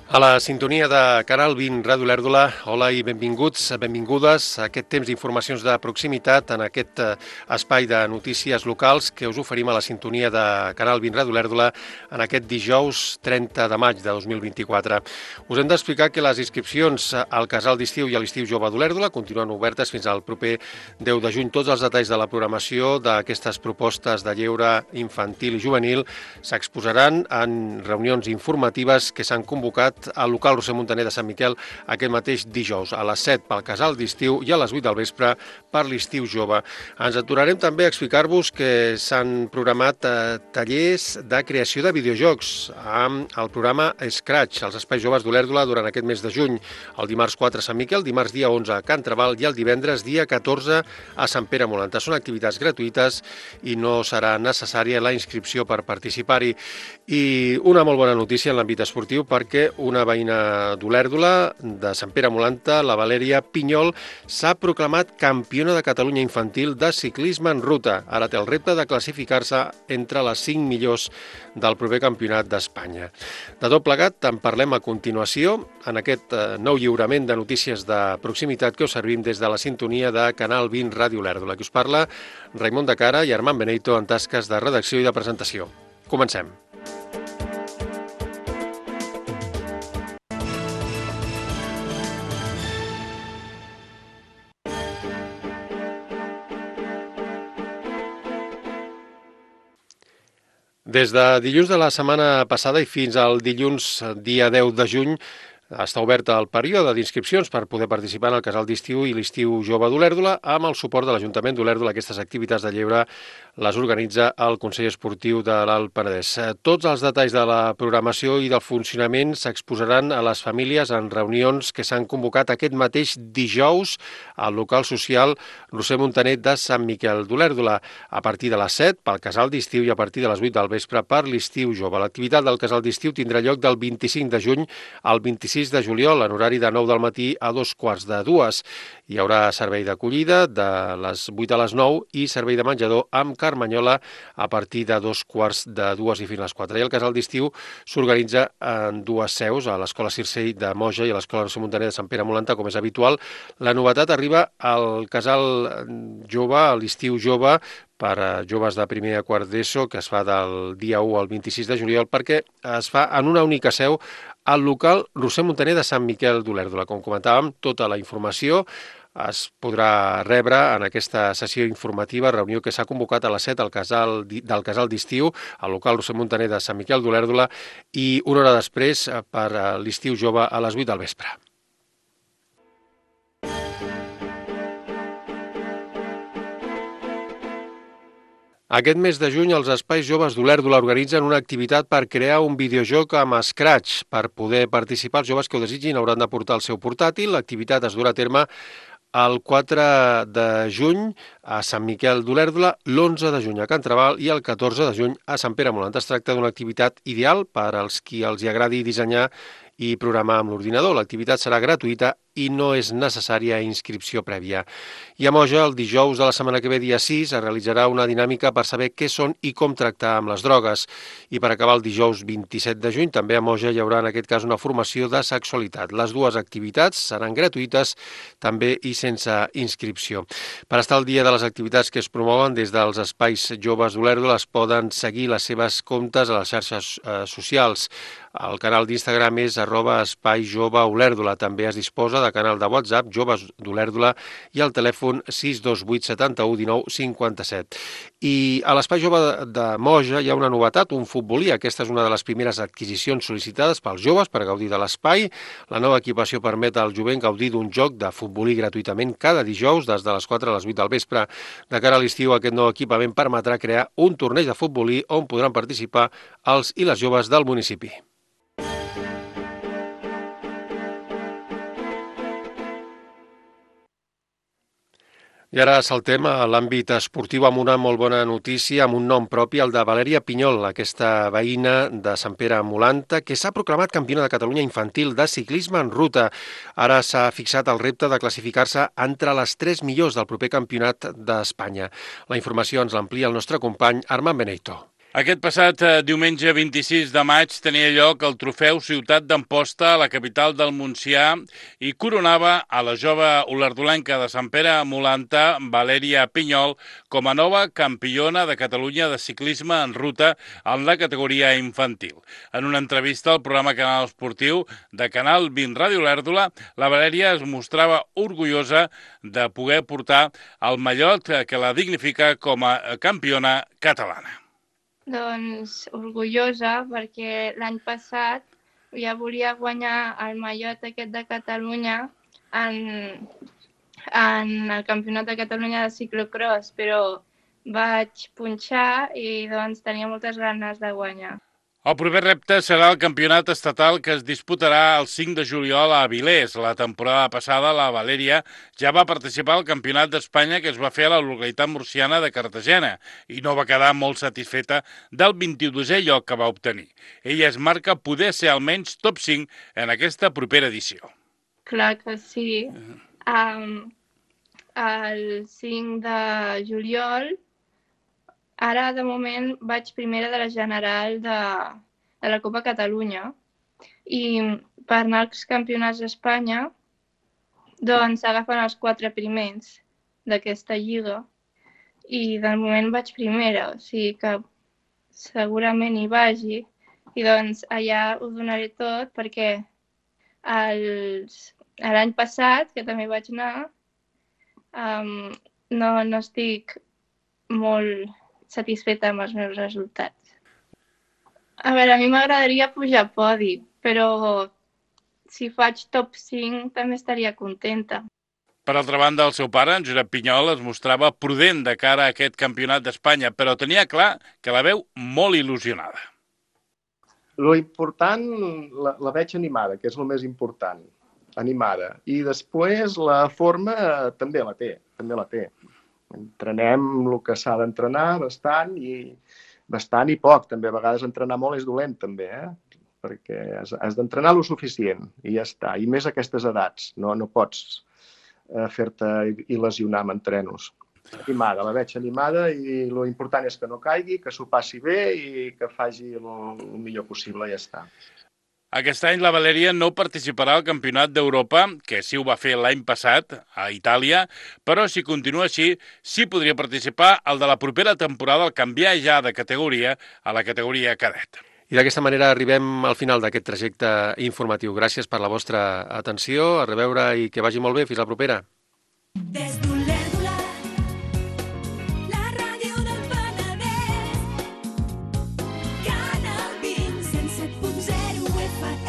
A la sintonia de Canal 20 Ràdio Olèrdola, hola i benvinguts, benvingudes a aquest temps d'informacions de proximitat en aquest espai de notícies locals que us oferim a la sintonia de Canal 20 Ràdio Olèrdola en aquest dijous 30 de maig de 2024. Us hem d'explicar que les inscripcions al Casal d'Estiu i a l'Estiu Jove d'Olèrdola continuen obertes fins al proper 10 de juny. Tots els detalls de la programació d'aquestes propostes de lleure infantil i juvenil s'exposaran en reunions informatives que s'han convocat al local Roser Montaner de Sant Miquel aquest mateix dijous, a les 7 pel Casal d'Estiu i a les 8 del vespre per l'Estiu Jove. Ens aturarem també a explicar-vos que s'han programat tallers de creació de videojocs amb el programa Scratch, als Espais Joves d'Olèrdola durant aquest mes de juny. El dimarts 4 a Sant Miquel, dimarts dia 11 a Can Trabal i el divendres dia 14 a Sant Pere Molanta. Són activitats gratuïtes i no serà necessària la inscripció per participar-hi. I una molt bona notícia en l'àmbit esportiu perquè una veïna d'Olèrdola, de Sant Pere Molanta, la Valèria Pinyol, s'ha proclamat campiona de Catalunya infantil de ciclisme en ruta. Ara té el repte de classificar-se entre les 5 millors del proper campionat d'Espanya. De tot plegat en parlem a continuació en aquest nou lliurament de notícies de proximitat que us servim des de la sintonia de Canal 20 Ràdio Olèrdola. Qui us parla, Raimon de Cara i Armand Beneito en tasques de redacció i de presentació. Comencem. Des de dilluns de la setmana passada i fins al dilluns dia 10 de juny està obert el període d'inscripcions per poder participar en el Casal d'Estiu i l'Estiu Jove d'Olèrdola amb el suport de l'Ajuntament d'Olèrdola. Aquestes activitats de lleure les organitza el Consell Esportiu de l'Alt Penedès. Tots els detalls de la programació i del funcionament s'exposaran a les famílies en reunions que s'han convocat aquest mateix dijous al local social Roser Montaner de Sant Miquel d'Olèrdola a partir de les 7 pel Casal d'Estiu i a partir de les 8 del vespre per l'Estiu Jove. L'activitat del Casal d'Estiu tindrà lloc del 25 de juny al 26 de juliol, en horari de 9 del matí a 2:15. Hi haurà servei d'acollida de les 8 a les 9 i servei de menjador amb carmanyola a partir de 2:15 i fins a les 4. I el Casal d'Estiu s'organitza en dues seus, a l'Escola Circell de Moja i a l'Escola Roser Montaner de Sant Pere Molanta, com és habitual. La novetat arriba al Casal Jove, a l'Estiu Jove, per a joves de primer a quart d'ESO, que es fa del dia 1 al 26 de juliol, perquè es fa en una única seu al local Roser Montaner de Sant Miquel d'Olèrdola. Com comentàvem, tota la informació es podrà rebre en aquesta sessió informativa, reunió que s'ha convocat a les 7 del Casal d'Estiu, al local Roser Montaner de Sant Miquel d'Olèrdola, i una hora després per a l'Estiu Jove a les 8 del vespre. Aquest mes de juny els Espais Joves d'Olèrdola organitzen una activitat per crear un videojoc amb Scratch. Per poder participar, els joves que ho desitgin hauran de portar el seu portàtil. L'activitat es durà a terme el 4 de juny a Sant Miquel d'Olèrdola, l'11 de juny a Can Trabal i el 14 de juny a Sant Pere Molanta. Es tracta d'una activitat ideal per als qui els agradi dissenyar i programar amb l'ordinador. L'activitat serà gratuïta i no és necessària inscripció prèvia. I a Moja, el dijous de la setmana que ve, dia 6, es realitzarà una dinàmica per saber què són i com tractar amb les drogues. I per acabar el dijous 27 de juny, també a Moja hi haurà en aquest cas una formació de sexualitat. Les dues activitats seran gratuïtes, també i sense inscripció. Per estar al dia de les activitats que es promouen des dels Espais Joves d'Olèrdola es poden seguir les seves comptes a les xarxes socials. El canal d'Instagram és @espaijoveolèrdola. També es disposa de canal de WhatsApp Joves d'Olèrdola i el telèfon 628 71 19 57. I a l'Espai Jove de Moja hi ha una novetat, un futbolí. Aquesta és una de les primeres adquisicions sol·licitades pels joves per gaudir de l'espai. La nova equipació permet al jovent gaudir d'un joc de futbolí gratuïtament cada dijous des de les 4 a les 8 del vespre. De cara a l'estiu, aquest nou equipament permetrà crear un torneig de futbolí on podran participar els i les joves del municipi. I ara saltem a l'àmbit esportiu amb una molt bona notícia, amb un nom propi, el de Valèria Pinyol, aquesta veïna de Sant Pere Molanta, que s'ha proclamat campiona de Catalunya infantil de ciclisme en ruta. Ara s'ha fixat el repte de classificar-se entre les 3 millors del proper campionat d'Espanya. La informació ens l'amplia el nostre company Armand Beneito. Aquest passat diumenge 26 de maig tenia lloc el trofeu Ciutat d'Amposta a la capital del Montsià i coronava a la jove olardolenca de Sant Pere Molanta, Valèria Pinyol, com a nova campiona de Catalunya de ciclisme en ruta en la categoria infantil. En una entrevista al programa Canal Esportiu de Canal 20 Ràdio Olèrdola, la Valèria es mostrava orgullosa de poder portar el mallot que la dignifica com a campiona catalana. Doncs orgullosa perquè l'any passat ja volia guanyar el mallot aquest de Catalunya en el Campionat de Catalunya de ciclocross, però vaig punxar i doncs tenia moltes ganes de guanyar. El proper repte serà el campionat estatal que es disputarà el 5 de juliol a Avilés. La temporada passada la Valèria ja va participar al Campionat d'Espanya que es va fer a la localitat murciana de Cartagena i no va quedar molt satisfeta del 22è lloc que va obtenir. Ella es marca poder ser almenys top 5 en aquesta propera edició. Clar que sí. El 5 de juliol ara, de moment, vaig primera de la general de la Copa Catalunya i per anar als campionats d'Espanya doncs agafen els 4 primers d'aquesta lliga i de moment vaig primera, o sigui que segurament hi vagi i doncs allà ho donaré tot perquè l'any passat, que també vaig anar, no estic molt satisfeta amb els meus resultats. A veure, a mi m'agradaria pujar a podi, però si faig top 5 també estaria contenta. Per altra banda, el seu pare, en Josep Pinyol, es mostrava prudent de cara a aquest campionat d'Espanya, però tenia clar que la veu molt il·lusionada. Lo important, la veig animada, que és el més important, animada. I després la forma també la té. Entrenem el que s'ha d'entrenar bastant i poc. També a vegades entrenar molt és dolent, també, perquè has d'entrenar lo suficient i ja està. I més a aquestes edats. No pots fer-te il·lesionar amb entrenos. Animada, la veig animada i lo important és que no caigui, que s'ho passi bé i que faci el millor possible i ja està. Aquest any la Valèria no participarà al Campionat d'Europa, que sí ho va fer l'any passat, a Itàlia, però si continua així, sí podria participar al de la propera temporada al canviar ja de categoria a la categoria cadet. I d'aquesta manera arribem al final d'aquest trajecte informatiu. Gràcies per la vostra atenció, a reveure i que vagi molt bé. Fins la propera. Des d'Olèrdola, la ràdio del Penedès, Canal 20, 107.0 FM.